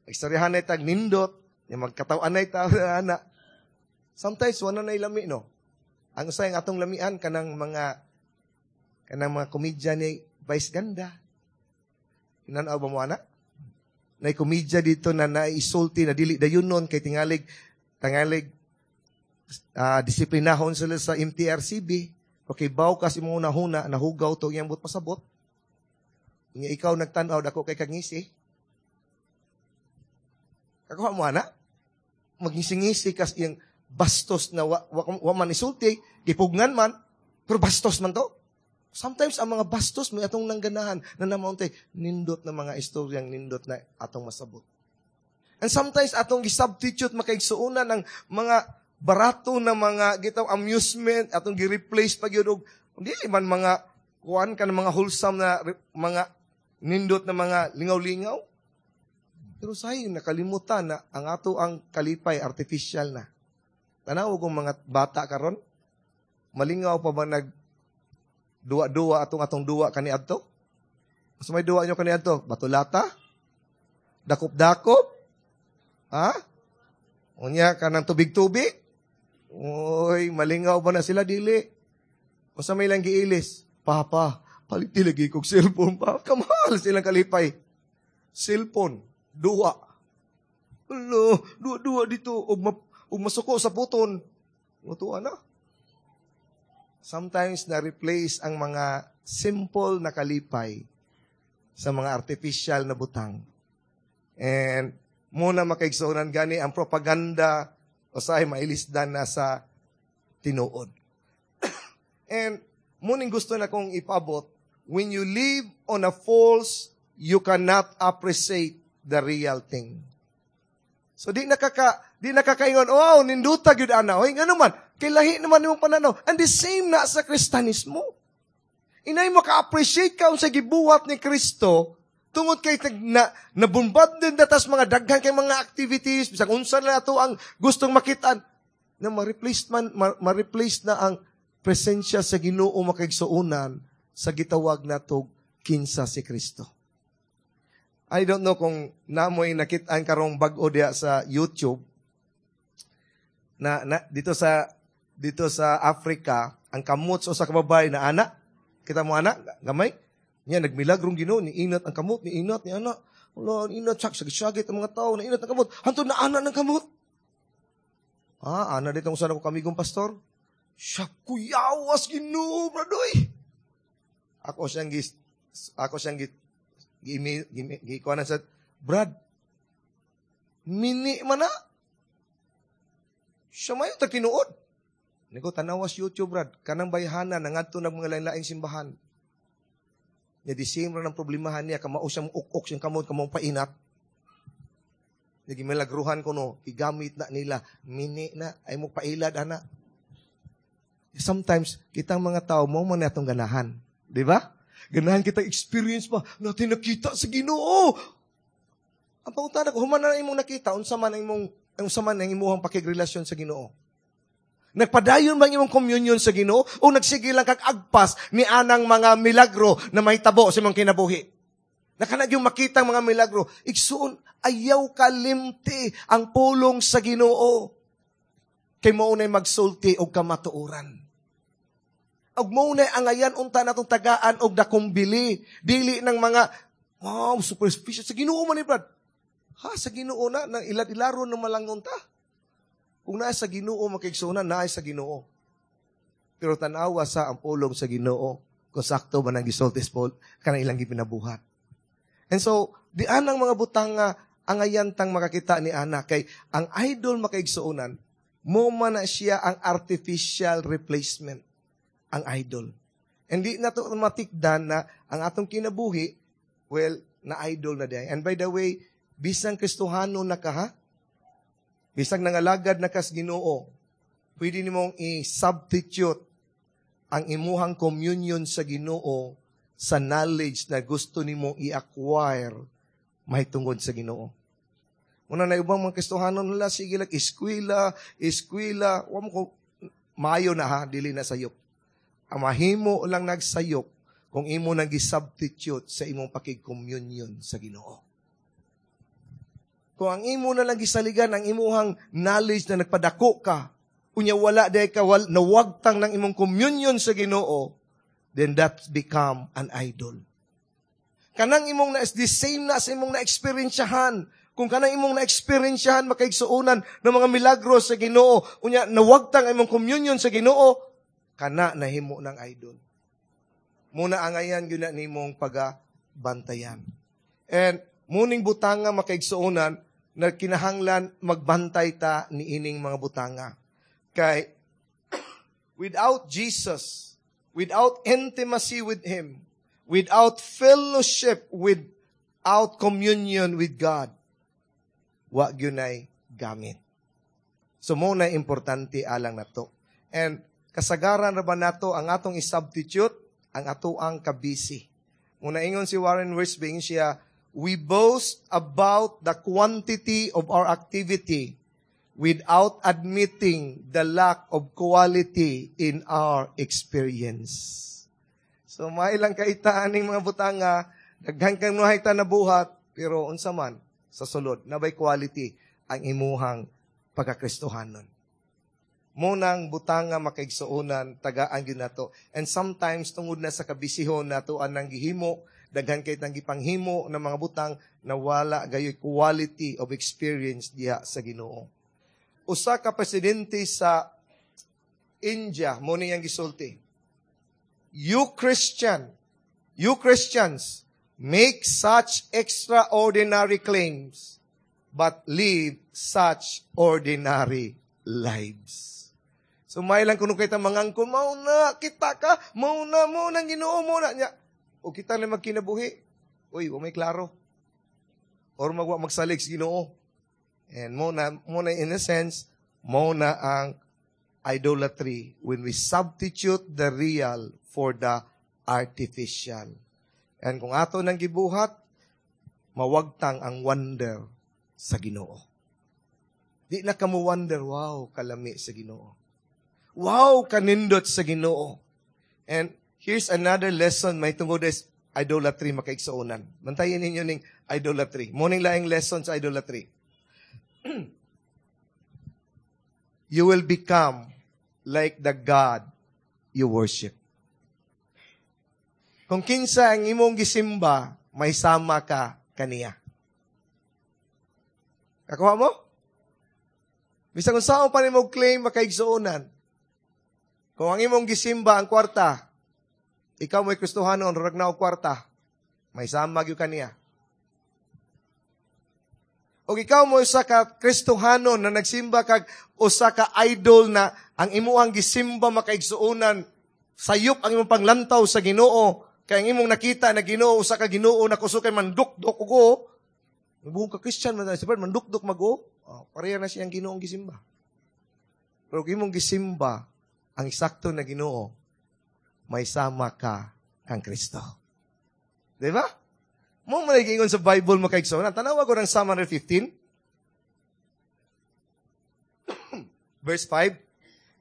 istoryahan na tag nindot, yung magkatawan na tao na. Sometimes wala na lami, no. Ang usay ang atong lamian kanang mga komedya ni Vice Ganda. Inanaw ba mo ana? Nay komedya dito na naisulti na dili dayon nun kay tingalig tangalig disiplinahon sila sa MTRCB. Okay, baw kasi mo huna nahugaw to iyang but pasabot. Nga ikaw nagtan-aw dako kay kangisi. Kakuha mo ana? Magisingisi kas iyang bastos na wa man isulti, gipugnan man, pero bastos man to. Sometimes ang mga bastos may atong nangganahan na namauntay nindot na mga istoryang nindot na atong masabot. And sometimes atong gisubstitute, makaigsuonan, ng mga barato na mga gitaw amusement, atong gi-replace pa gyud og dili man mga kuan ka ng mga wholesome na mga nindot na mga lingaw-lingaw. Pero sayo nakalimutan na ang ato ang kalipay artificial na. Tanaw kung mga bata karon, malingaw pa ba nag duwa-duwa atong atong duwa kaniadto? Mas may duwa nyo kaniadto? Batulata? Dakop-dakop? Ha? Unya ka ng tubig-tubig? Uy, malingaw ba na sila? Dili. Basta may lang giilis. "Papa, palit lagi kog cellphone pa." Kamahal silang kalipay. Cellphone, duwa. Alo, duwa-duwa dito. Ug masuko sa puton. Mutuan na. Sometimes na-replace ang mga simple na kalipay sa mga artificial na butang. And muna, makaigsuonan, gani ang propaganda usahay mailisdan na sa tinuod. And muning gusto na kong ipabot, when you live on a false, you cannot appreciate the real thing. So di nakakaingon, "Oh, ninduta gyud ana." Oy, ngano man, kay lahi naman imong pananaw. And the same na sa Kristanismo. Inay maka-appreciate ka sa gibuhat ni Kristo tungod kay na nabumbad din datas mga daghan kay mga activities, bisag unsa na ato ang gustong makitaan na ma-replace man ma-replace na ang presensya sa Ginoo, makaigsuonan, sa gitawag natog kinsa si Kristo. I don't know kung namoy nakit-an karong bag-o diya sa YouTube na dito sa Africa, ang kamot sa usa ka babae na ana. Kita mo ana gamay niya, nagmilagrong Ginoo ni inat ang kamot ni inat ni ana. Wala inat sak sagit ang mga tao na inat ang kamot hantod na ana ng kamot. Ah, ana dito usa ko kamigong pastor siya, kuyawas Ginoo, bradoy. Ako siyang gi gi gi gi sa "Brad, mini man na siya, mayo ta tinuod." Niko, "Tanawas YouTube, Brad, kanang bayhana nangadto nag mga lain-laing simbahan." Nya di same ra ng problemahan niya, kamao siyang uk-ok siyang kamot, kamao painat. Nya gimilagruhan ko no, gigamit na nila, mini na, ay mo pailad ana. Sometimes, kitang mga tao, mo man atong ganahan. Di ba? Ganahan kita experience pa, natin nakita sa Ginoo. Ang pangutana ko, human na imong nakita, unsa man ang imong pakigrelasyon sa Ginoo? Nagpadayon ba ang imong communion sa Ginoo o nagsige lang kag agpas ni anang mga milagro na mahitabo sa imong kinabuhi? Nakanag yung makita ang mga milagro. Igsuon, ayaw kalimti ang pulong sa Ginoo. Kay mao na'y magsulti og kamatuoran. Og mao na'y angayan unta natong tagaan og dakong bili. Dili ng mga, wow, superstitious. Sa Ginoo man ni Brad. Ha, sa Ginoo na, nang ilad-ilaro ng malangon ta. Kung naa sa Ginoo, makigsunan, naa sa Ginoo. Pero tanawa sa ang pulong sa Ginoo kung sakto ba nang gisulti Paul kanang ilang gipinabuhat. And so, di anang mga butang nga angayan tang makakita ni ana kay ang idol, makaigsuonan, mo man na siya ang artificial replacement, ang idol. Hindi na to matikdan na ang atong kinabuhi, well, na idol na diay. And by the way, bisang Kristohano na ka ha, bisang nangalagad na kas Ginoo, pwede nimong i-substitute ang imuhang communion sa Ginoo sa knowledge na gusto nimo i-acquire mahitungod sa Ginoo. Una na ubang mga Kristohano nila, sige lang, eskwela, eskwela, wa mo ko, maayo na ha, dili na sayop. Ang mahimo lang nagsayop kung imo nang gi-substitute sa imong pakig-communion sa Ginoo. Kung ang imo na lang gisaligan ang imuhang knowledge na nagpadako ka, unya wala day ka nawagtang ng imong communion sa Ginoo, then that become an idol. Kanang imong na the same na sa imong na-experiensyahan. Kung kanang imong na-experiensyahan, makaigsuonan, ng mga milagro sa Ginoo, unya nawagtang ang imong communion sa Ginoo, kana nahimo ng idol. Muna angayan gyud na nimong pagabantayan. And muning butanga, makaigsuonan, Na kinahanglan magbantay ta ni ining mga butanga. Kay without Jesus, without intimacy with Him, without fellowship, without communion with God, wa gyunay gamit. So mao na importante alang nato. And kasagaran ra ba nato ang atong i-substitute ang atoang kabisi. Muna ingon si Warren Wiersbe, siya, "We boast about the quantity of our activity without admitting the lack of quality in our experience." So mailang kaita aning mga butanga, daghan kang nuhay ta nabuhat, pero unsa man sa sulod, naa bay quality ang imuhang pagkakristohanon? Mao nang butanga, makaigsuonan, tagaan gyud nato. And sometimes tungod na sa kabisihon nato anang gihimo, daghan kay tang gipanghimo ng mga butang na wala gayoy quality of experience diha sa Ginoo. Usa ka presidente sa India, mao niyang gisulti, "You Christians make such extraordinary claims, but live such ordinary lives." So may lang kuno kita mangangkon, "Mao na, kita ka, mao na, mao nang Ginoo, mao na niya." O kita na magkinabuhi. Uy, wa may klaro. Or magwa magsalig sa Ginoo. And mao na in a sense, mao na ang idolatry when we substitute the real for the artificial. And kung ato nang gibuhat, mawagtang ang wonder sa Ginoo. Di na ka mo wonder, "Wow, kalami sa Ginoo. Wow, kanindot sa Ginoo." And here's another lesson may tungod is idolatry, makaigsuonan. Bantayan ninyo ning idolatry. Mao ning laing lesson sa idolatry. You will become like the God you worship. Kung kinsa ang imong gisimba, may sama ka kaniya. Kakuha mo? Bisan kung saan pa nimo claim, makaigsuonan. Kung ang imong gisimba ang kwarta, ikaw mo'y Kristohanon, rag na og kwarta, may sama gyud kaniya. O ikaw mo usa ka Kristohanon na nagsimba kag usa ka idol na ang imuhang gisimba, makaigsuonan, sayop ang imong panglantaw sa Ginoo, kay ang imong nakita na Ginoo usa ka Ginoo na kusog kay mandukdok og buong ka Christian man si mandukdok mag-o, oh, pareha na siyang Ginoong gisimba. Pero kung imong gisimba ang eksakto na Ginoo, may sama ka kang Kristo. Di ba? Mao man ingon sa Bible, makaigsoon. Tanawa ko ng Psalm 115. Verse 5.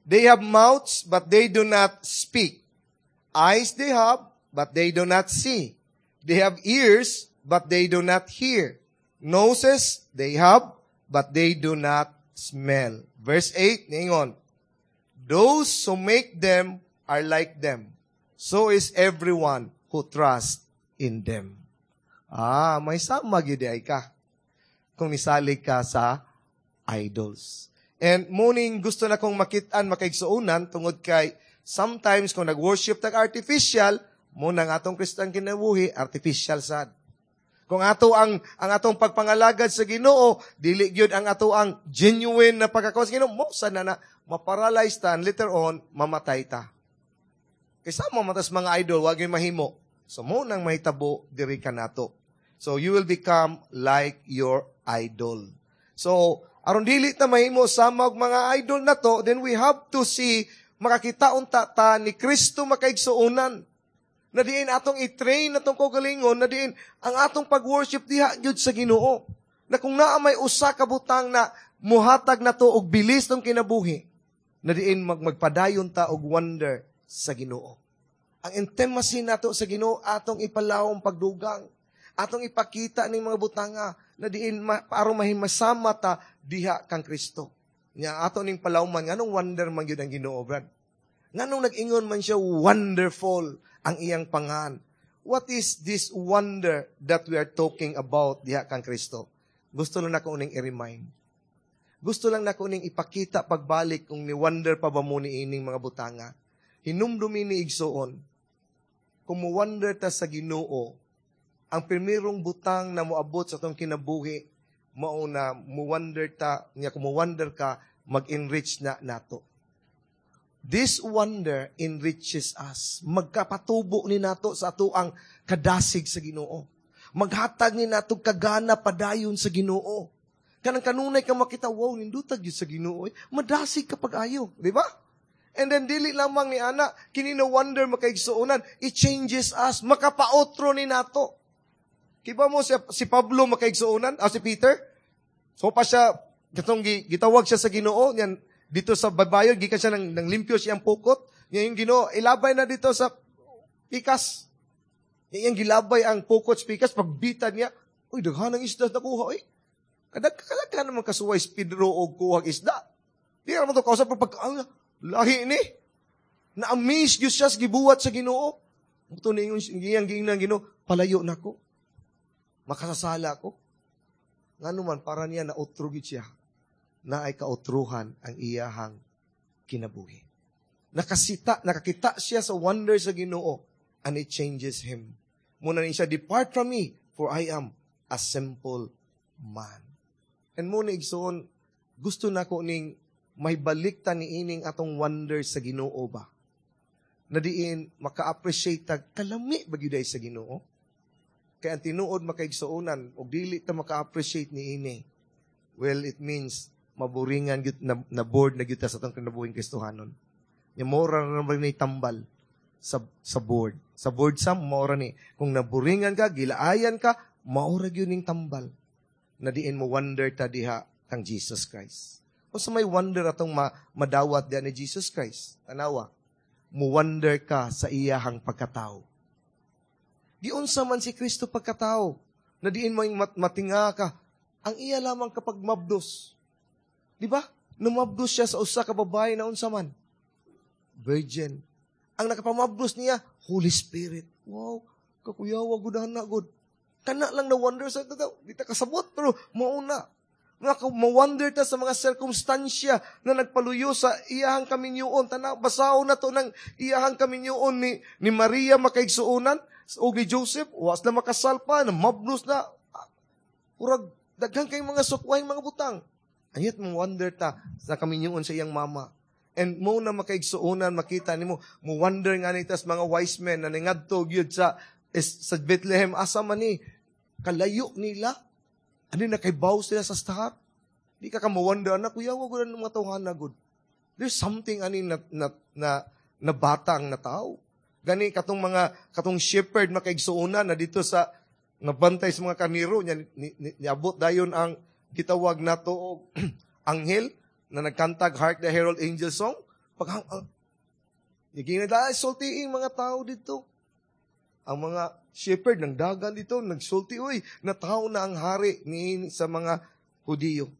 "They have mouths, but they do not speak. Eyes they have, but they do not see. They have ears, but they do not hear. Noses they have, but they do not smell." Verse 8, ningon, "Those who make them are like them. So is everyone who trusts in them." Ah, may sama gyud ay ka kung nisalig ka sa idols. And mao ning gusto na kong makitaan, makaigsuonan, tungod kay sometimes kung nag-worship tag artificial, mao nang atong Kristiyan kinabuhi, artificial sad. Kung ato ang atong pagpangalagad sa Ginoo, dili gyud ang ato ang genuine na pagkakuha sa Ginoo, mao sa na na maparalyze ta and later on mamatay ta. Kay sama man tas mga idol, wa gyud mahimo. So mao nang mahitabo diri kanato. So you will become like your idol. So aron dili ta mahimo sama og mga idol na to, then we have to see, makakita unta ta ni Kristo, makaigsuonan. Na diin atong i-train atong kaugalingon, na diin ang atong pag-worship diha gyud sa Ginoo. Na kung naa may usa ka butang na muhatag nato og bilis ng kinabuhi, na diin magpadayon ta og wonder sa Ginoo. Ang intimacy nato sa Ginoo atong ipalawom pagdugang. Atong ipakita ning mga butanga na diin aron mahimasama ta diha kang Kristo. Nya ato ning palawman, nganong wonder man gyud ang Ginoo, brad? Nganong nag-ingon man siya wonderful ang iyang pangan? What is this wonder that we are talking about diha kang Kristo? Gusto lang nako ning i-remind. Gusto lang nako ning ipakita pagbalik kung ni wonder pa ba mo ni ining mga butanga. Hinumdumi ni igsuon, kung mo wonder ta sa Ginoo, ang primerong butang na moabot sa atong kinabuhi Mao na mo wonder ta niya, kung mo wonder ka, mag-enrich na nato. This wonder enriches us. Magkapatubo ni nato sa ato ang kadasig sa Ginoo. Maghatag ni nato kagana padayon sa Ginoo. Kanang kanunay ka makita, "Wow, nindutag gyud sa Ginoo." Eh. Madasig ka pag-ayo, di ba? And then dili lamang ni ana, kini na wonder, makaigsuonan, it changes us, makapaotro ni nato. Kiba mo si Pablo, makaigsuonan, ah, si Peter? So pa siya, katong gitawag siya sa Ginoo, yan, dito sa baybayon, gikan siya ng limpyo siyang pukot. Yan yung Ginoo, "Ilabay na dito sa pikas." Yan gilabay ang pukot sa pikas, pagbita niya, "Uy, daghan ang isda nakuha, uy." Kadag kadag naman kasuway si Pedro og kuhag isda. Di naman to kausap, pero pag, ah, lahi ni. Na-amaze gyud siya sa gibuhat sa Ginoo. Ito na yung iyang giingnan Ginoo, "Palayo na ko. Makasasala ko." Ngano man, para niya nautro gyud siya na ay kautruhan ang iyahang kinabuhi. Nakakita siya sa wonder sa Ginoo and it changes him. Muna ni siya, "Depart from me, for I am a simple man." And muna, igsoon, gusto na ko ning may balik ta ni ining atong wonder sa Ginoo ba? Na diin maka-appreciate ta kalami ba gyud sa Ginoo? Kay ang tinuod, makaigsuonan, og dili ta maka-appreciate ni ini, well, it means maburingan gyud na bored na gyud ta sa atong kinabuhing Kristohanon. Nya mora na naman ni tambal sa board. Sa board sa mora ni kung naburingan ka, gilaayan ka, maura gyud ning tambal. Na diin mo wonder ta diha kang Jesus Christ. Unsa may wonder atong madawat diha ni Jesus Christ? Tanawa. Mo wonder ka sa iyahang pagkatao. Giunsa man si Kristo pagkatao? Na diin mo matinga ka. Ang iya lamang kapag mabdos. Di ba? Numabdos siya sa usa ka babae na unsa man? Virgin. Ang nakapamabdos niya, Holy Spirit. Wow, kakuyawa gud na gud. Kana lang na wonder sa ito. Di ta kasabot, pero mauna. Ma-wonder ta sa mga sirkumstansya na nagpaluyo sa iyahang kaminyoon. Tana, basaon na to ng iyahang kaminyoon ni Maria, makaigsuonan, o ni Joseph, was na makasal pa, na mabnos na. Urag, daghan kay mga sukway mga butang. Ayat mo wonder ta sa kaminyoon sa iyang mama. And mo na, makaigsuonan, makita nimo, mo wonder nga ni tas mga wise men na ningadto gyud sa Bethlehem, asa man ni kalayo nila. Ano na kay sila sa star? Di ka ka-wonder na kuya, wag ng mga tawhana gud. There's something ani na batang na tao. Gani katong mga katong shepherd, makaigsuonan, na dito sa nabantay sa mga karnero niya, niabot dayon ang gitawag nato og anghel na nagkantag "Hark the Herald Angel Song." Pag ang uh, sultiin mga tao dito. Ang mga shepherd ng dagan dito, nagsulti, "Uy, natawo na ang hari ni sa mga Hudiyo."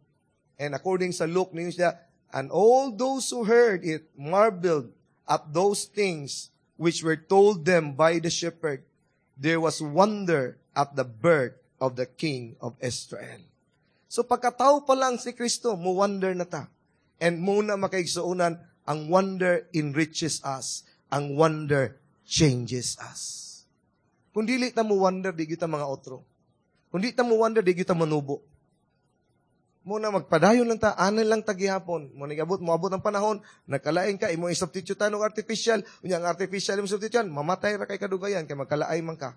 And according sa Luke, niyo siya, "And all those who heard it marveled at those things which were told them by the shepherd. There was wonder at the birth of the King of Israel." So pagkatao pa lang si Kristo, mo wonder na ta. And muna, makaigsuonan, ang wonder enriches us. Ang wonder changes us. Kung dili ta mo wonder, di kita mga otro. Kung di ta mo wonder, di kita manubo. Muna magpadayon lang ta, anan lang ta gihapon. Mo nigabot, moabot ang panahon, nagkalain ka, imo i-substitute og artificial, unya ang artificial imo substitute, mamatay ra kay kadugayan kay magkalaay man ka.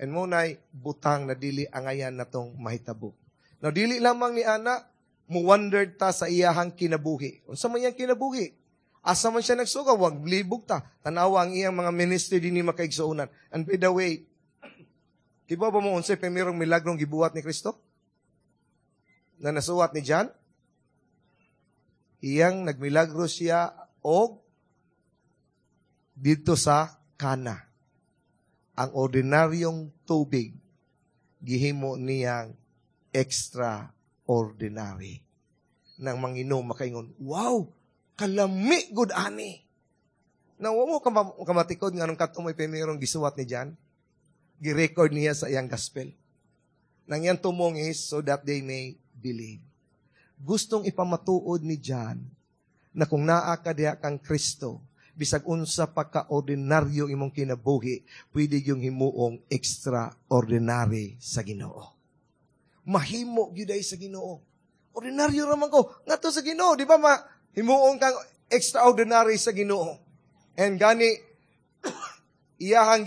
And mo nay butang na dili angayan natong mahitabo. Now dili lamang ni ana, mo wonder ta sa iyahang kinabuhi. Unsa man iyang kinabuhi? Asa man siya nagsuga, wag libog ta. Tanawa ang iyang mga ministry dinhi, makaigsuonan. And by the way, kibaw ba mo unsay primerong milagrong gibuhat ni Kristo? Na nasuwat ni John? Iyang nagmilagro siya og dito sa Kana. Ang ordinaryong tubig, gihimo niyang extraordinary. Nang manginom, makaingon, "Wow, kalami gud ani." Na wa mo kamatikod nga nung katong may primerong gisuwat ni John, gi-record niya sa iyang gospel. Nang iyang tumong is so that they may believe. Gustong ipamatuod ni John na kung naa ka diha kang Kristo, bisag unsa pa ka ordinaryo imong kinabuhi, pwede yung himuong extraordinary sa Ginoo. Mahimo gyud ay sa Ginoo. Ordinaryo raman ko. Ngadto sa Ginoo, di ba ma himuon kang extraordinary sa Ginoo? And gani iyahang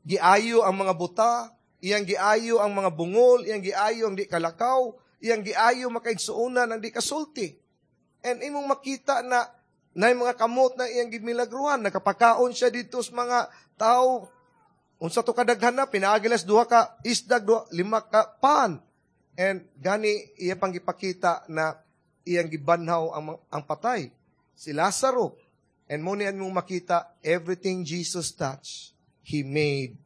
giayo ang mga buta, iyang giayo ang mga bungol, iyang giayo ang di kalakaw, iyang giayo, makaigsuonan, ang di kasulti. And imong makita na na mga kamot na iyang gimilagruhan, nakapakaon siya dito sa mga tao. Unsa to kadaghan na, pinaagi lang sa duha ka isdag, duha, lima ka pan. And gani iya pang gipakita na iyang gibanhaw ang patay, si Lazaro. And mo ni mong makita, everything Jesus touched, He made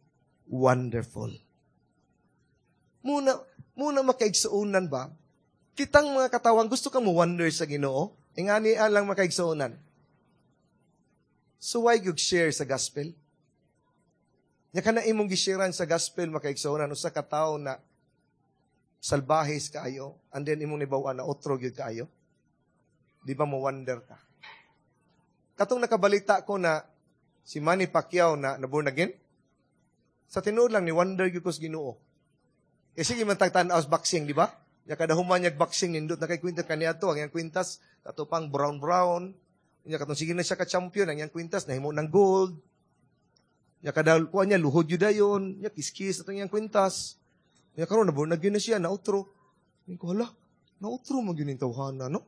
wonderful. Muna makaigsuonan ba? Kitang mga katawhan, gusto ka mo wonder sa Ginoo? Ingani lang, makaigsuonan. So why gyud share sa gospel? Nya kana imong gisharean sa gospel, makaigsuonan, usa ka tawo na salbahis kaayo, and then imong nibaw na otro gyud kaayo. Di ba mo wonder ka? Katong nakabalita ko na si Manny Pacquiao na na born again, sa tinuod lang ni wonder gyud ko sa Ginoo. Eh sige man tagtan-aw sa boxing, di ba? Ya kada human niya boxing, nindot na kay kwintas kaniadto, ang iyang kwintas ato pang brown brown. Nya katong sige na siya ka champion, ang iyang kwintas nahimo ng gold. Nya kada kuan niya luhod yun dayon, nya kiskis atong iyang kwintas. Nya karon na born again na siya, nautro. Ko hala, nautro man gyud ning tawhana, no?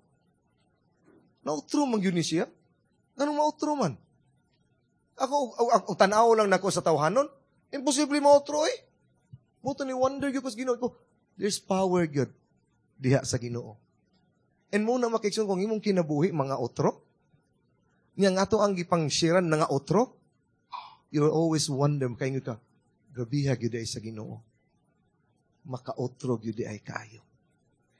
Nautro man gyud ni siya. Nganong mautro man? Ako, ako tan-aw lang nako sa tawhanon. Imposible mautro eh. Mo ni wonder gyud ko sa Ginoo ko. There's power gyud diha sa Ginoo. And mo na makikson kung imong kinabuhi mga otro. Nya nga ato ang gipang-sharean na nga otro. You will always wonder kay ka, grabiha gyud ay sa Ginoo. Makaotro gyud ay kayo.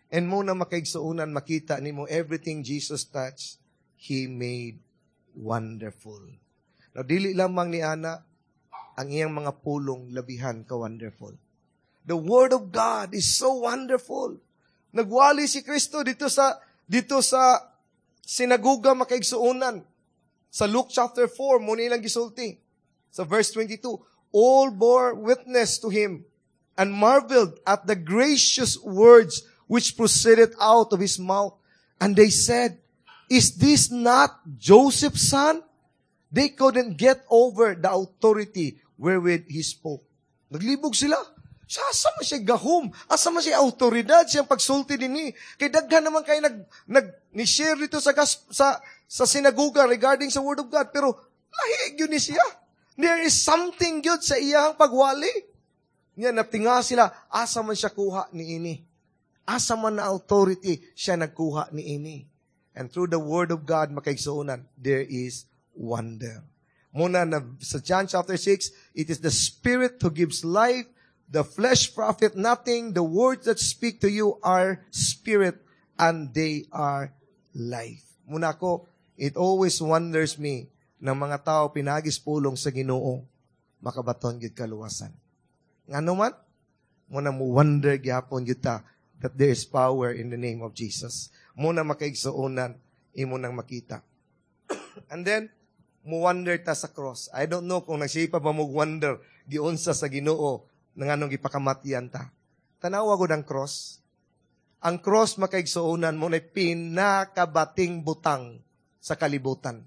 And mo na makaigsuonan, makita nimo, everything Jesus touched, He made wonderful. Now, dili lamang ni ana, ang iyang mga pulong labihan ka wonderful. The Word of God is so wonderful. Nagwali si Kristo dito sa sinaguga, makaigsuonan. Sa Luke chapter 4, mo nilang gisulti. Sa verse 22, "All bore witness to him and marveled at the gracious words which proceeded out of his mouth. And they said, 'Is this not Joseph's son?'" They couldn't get over the authority wherewith he spoke. Naglibog sila. Sa asa man siya gahom? Asa man siya autoridad siyang pagsulti dinhi? Kay daghan naman kay nag nag ni share dito sa sinaguga regarding sa Word of God, pero lahi gyud ni siya. There is something good sa iyang pagwali. Nya natinga sila, asa man siya kuha ni ini? Asa man na authority siya nagkuha ni ini? And through the Word of God, makaigsuonan, there is wonder. Muna na sa John chapter 6, "It is the Spirit who gives life, the flesh profit nothing, the words that speak to you are spirit and they are life." Muna ko, it always wonders me ng mga tao pinagis pulong sa Ginoo, makabaton gyud kaluwasan. Ngano man? Muna mo wonder gyapon gyud ta that there is power in the name of Jesus. Muna, makaigsuonan, imo nang makita. And then, mo wonder ta sa cross. I don't know kung nagsipa ba mo wonder giunsa sa Ginoo na nganong gipakamatyan ta. Tanawa gud ang cross. Ang cross, makaigsuonan, mo na pinakabating butang sa kalibutan.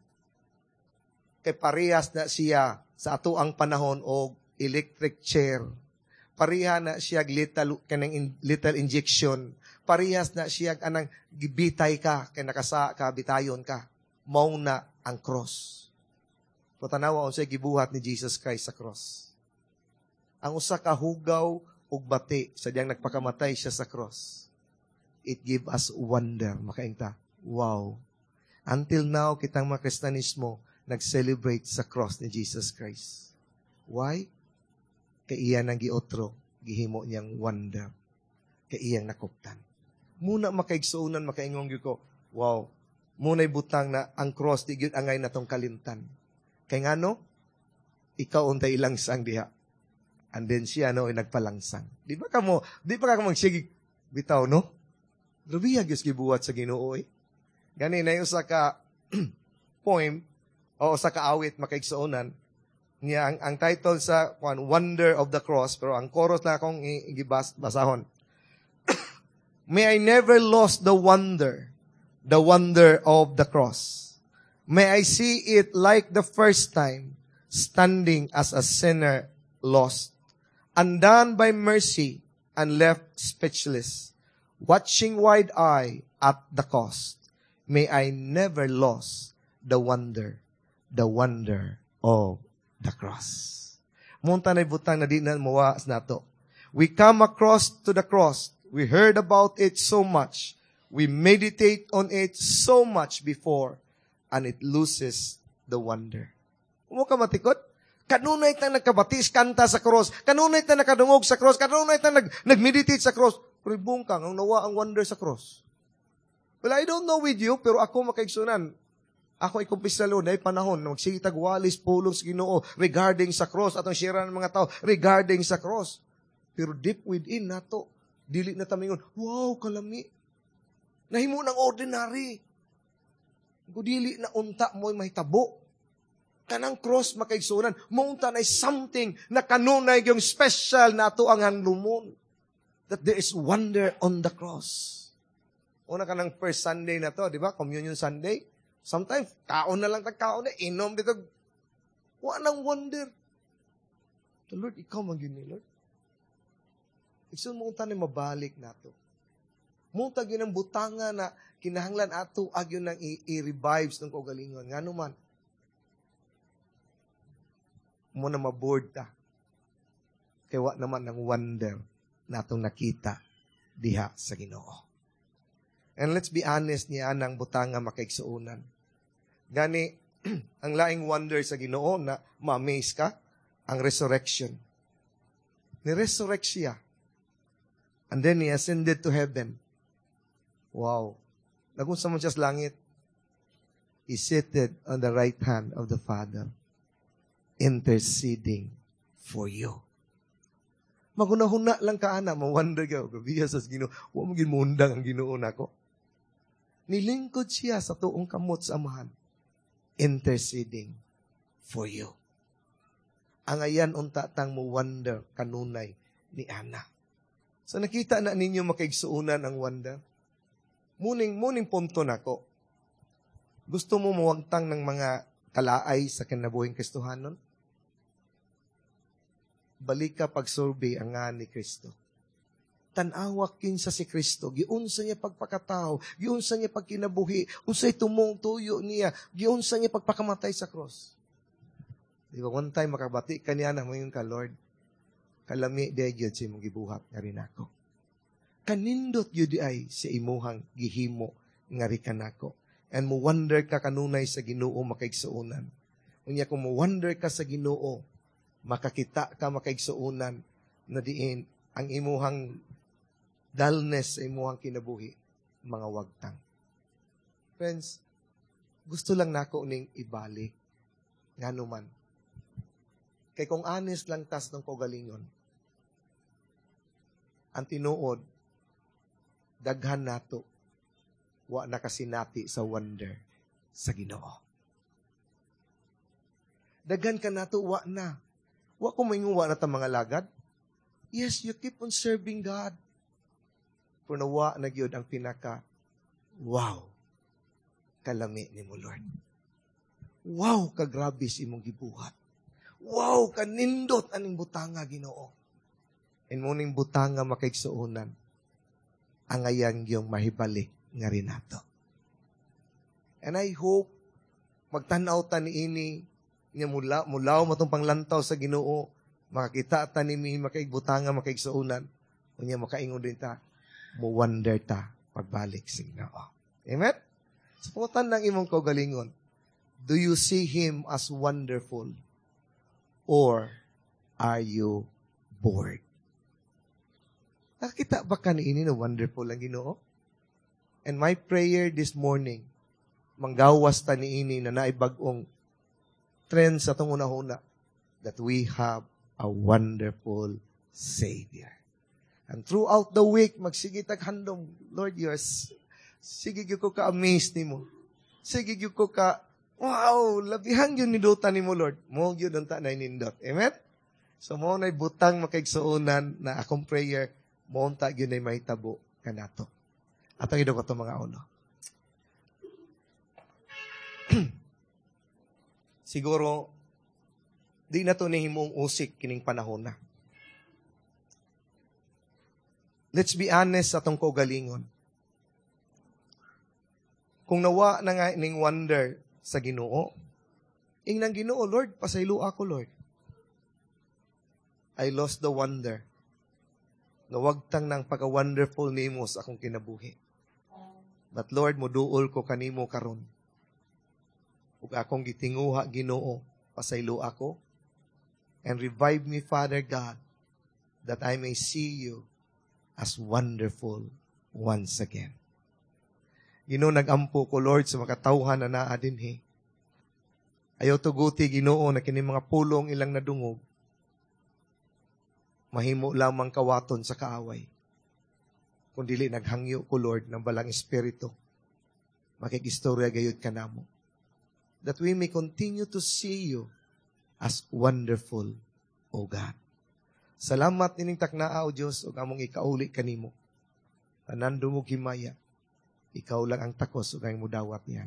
Kay parehas na siya sa ato ang panahon og electric chair. Pareha na siya lethal kanang lethal injection. Parehas na siya anang gibitay ka kay nakasa ka, bitayon ka. Mao na ang cross. Pero tanawa unsay gibuhat ni Jesus Christ sa cross. Ang usa ka hugaw ug bati sa diyang nagpakamatay siya sa cross. It give us wonder. Makainta. Wow. Until now, kitang mga Kristanismo nag-celebrate sa cross ni Jesus Christ. Why? Kay iya nang giotro, gihimo niyang wonder. Kay iyang nakuptan. Muna, makaigsuonan, makaingon gyud ko, wow, muna'y butang na ang cross di gyud angay natong kalimtan. Kay ngano? Ikaw untay ilangsang diha. And then siya no ay nagpalangsang. Di ba ka mo sige bitaw, no? Grabe ang gibuhat sa Ginoo eh. Gani na usa ka poem o usa ka awit, makaigsuonan niya, ang title sa kuan, "Wonder of the Cross," pero ang chorus na akong gibas basahon. May I never lose the wonder of the cross. May I see it like the first time, standing as a sinner lost, undone by mercy and left speechless, watching wide-eyed at the cost. May I never lose the wonder of the cross. Mao unta na butang na di na mawa nato. We come across to the cross. We heard about it so much. We meditate on it so much before, and it loses the wonder. Mo ka matikod? Kanunay tang nagkabatis kanta sa cross. Kanunay tang nakadungog sa cross. Kanunay tang nag-meditate sa cross. Pero bungkang, ang nawa ang wonder sa cross. Well, I don't know with you, pero ako, makaigsunan, ako ikumpisa lo, na panahon, magsige tag walis pulong sa Ginoo regarding sa cross, atong share ng mga tao regarding sa cross. Pero deep within nato, dili na ta mingon, "Wow, kalami." Nahimo ng ordinary. Kung dili na unta mo mahitabo. Kanang cross, makaigsunan, mo unta na something na kanunay yung special na ato ang handumon. That there is wonder on the cross. Una ka ng first Sunday na to, di ba? Communion Sunday. Sometimes, kaon na lang tag kaon na, inom dito. Wa nang wonder. The Lord, ikaw man gyud ni Lord. Igsoon, mo unta ni mabalik nato. Mo unta gyud ang butanga na kinahanglan ato agyon nang i-revives ng kaugalingon. Ngano man? Mo na maboard ta. Kay wa naman ng wonder na atong nakita diha sa Ginoo. And let's be honest niya nang butanga, makaigsuonan. Gani, ang laing wonder sa Ginoo na ma-amaze ka, ang resurrection. Ni-resurrect siya. And then he ascended to heaven. Wow. Nagunsa man siya sa langit? He seated on the right hand of the Father, interceding for you. Magunahuna lang ka ana, ma-wonder ka, grabe sa Ginoo, wa mo ginmundang ang Ginoo nako. Nilingkod siya sa tuong kamot sa Amahan, interceding for you. Ang ayan unta tang mo wonder kanunay ni ana. So nakita na ninyo, makaigsuunan, ang wonder. Muning punto nako. Gusto mo mawagtang ng mga kalaay sa kinabuhing Kristohanon? Balik ka pagsurvey ang nga ni Kristo. Tan-awa kinsa si Kristo, giunsa niya pagpakatao, giunsa niya pagkinabuhi, unsay tumong tuyo niya, giunsa niya pagpakamatay sa cross. Di ba, one time makabati ka niya na mo ka, "Lord, kalami di gyud sa imong gibuhat nga rin ako. Kanindot gyud di ay sa imuhang gihimo nga ri kanako." And mo wonder ka kanunay sa Ginoo, makaigsuonan. Unya kung mo wonder ka sa Ginoo, makakita ka, makaigsuonan, na diin ang imuhang dullness sa imuhang kinabuhi, mga wagtang. Friends, gusto lang nako ning ibalik. Ngano man? Kay kung honest lang tas ng kaugalingon, ang tinuod, daghan nato, wa nakasinati sa wonder sa Ginoo. Daghan ka nato, wa na. Wa ko maingon wa na ta mga lagad. Yes, you keep on serving God. Pero nawa na gyud ang pinaka, "Wow, kalami ni mo, Lord. Wow, kagrabe sa imong gibuhat. Wow, kanindot aning butanga, Ginoo." And muning butanga, makaigsuonan, ang ayang yung mahibalik nga rin nato. And I hope, magtanaw ta ni ini, nga mula, mulaw matong panglantaw sa Ginoo, makakita ta ni mi, makaigbutanga, makaigsuonan, unya makaingon din ta, mo wonder ta pagbalik sa Ginoo. Amen? Sa pangutan ng imong kaugalingon, do you see Him as wonderful or are you bored? Nakita ba ka ni ini na wonderful ang Ginoo? And my prayer this morning, manggawas ta ni ini na naibag-ong trend sa atong una-una, that we have a wonderful Savior. And throughout the week, magsige tag handom, "Lord, you are, sige gyud ko ka-amaze nimo. Sige gyud ko ka, wow, labihan gyud nindutan nimo, Lord." Mo gyud unta na nindot. Amen? So mo na butang, makaigsuonan, na akong prayer, mo unta gyud ay mahitabo. kanato. Atong idukot atong mga ulo. Siguro, di na to nihimong usik kining panahon na. Let's be honest sa atong kaugalingon. Kung nawa na nga ning wonder sa Ginoo, ingnan Ginoo, "Lord, pasaylo ako, Lord. I lost the wonder. Nawagtang ng pagka-wonderful nimo sa akong kinabuhi. But Lord, muduol ko kanimo karon. Ug akong gitinguha, Ginoo, pasaylo ako. And revive me, Father God, that I may see you as wonderful once again." Ginoo, nagampo ko, Lord, sa makatawhan na naa dinhi. Ayaw tuguti, Ginoo, na kini mga pulong ilang nadungog, mahimo lamang kawaton sa kaaway. Kung dili naghangyo ko, Lord, ng Balaang Espiritu, makikistorya gayud kanamo. That we may continue to see you as wonderful, O God. Salamat nining taknaa, O Diyos, ug among ikauli kanimo. Tanan dungog himaya, ikaw lang ang takos ug ang mudawat niya.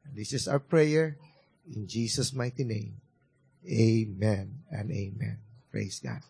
And this is our prayer in Jesus' mighty name. Amen and amen. Praise God.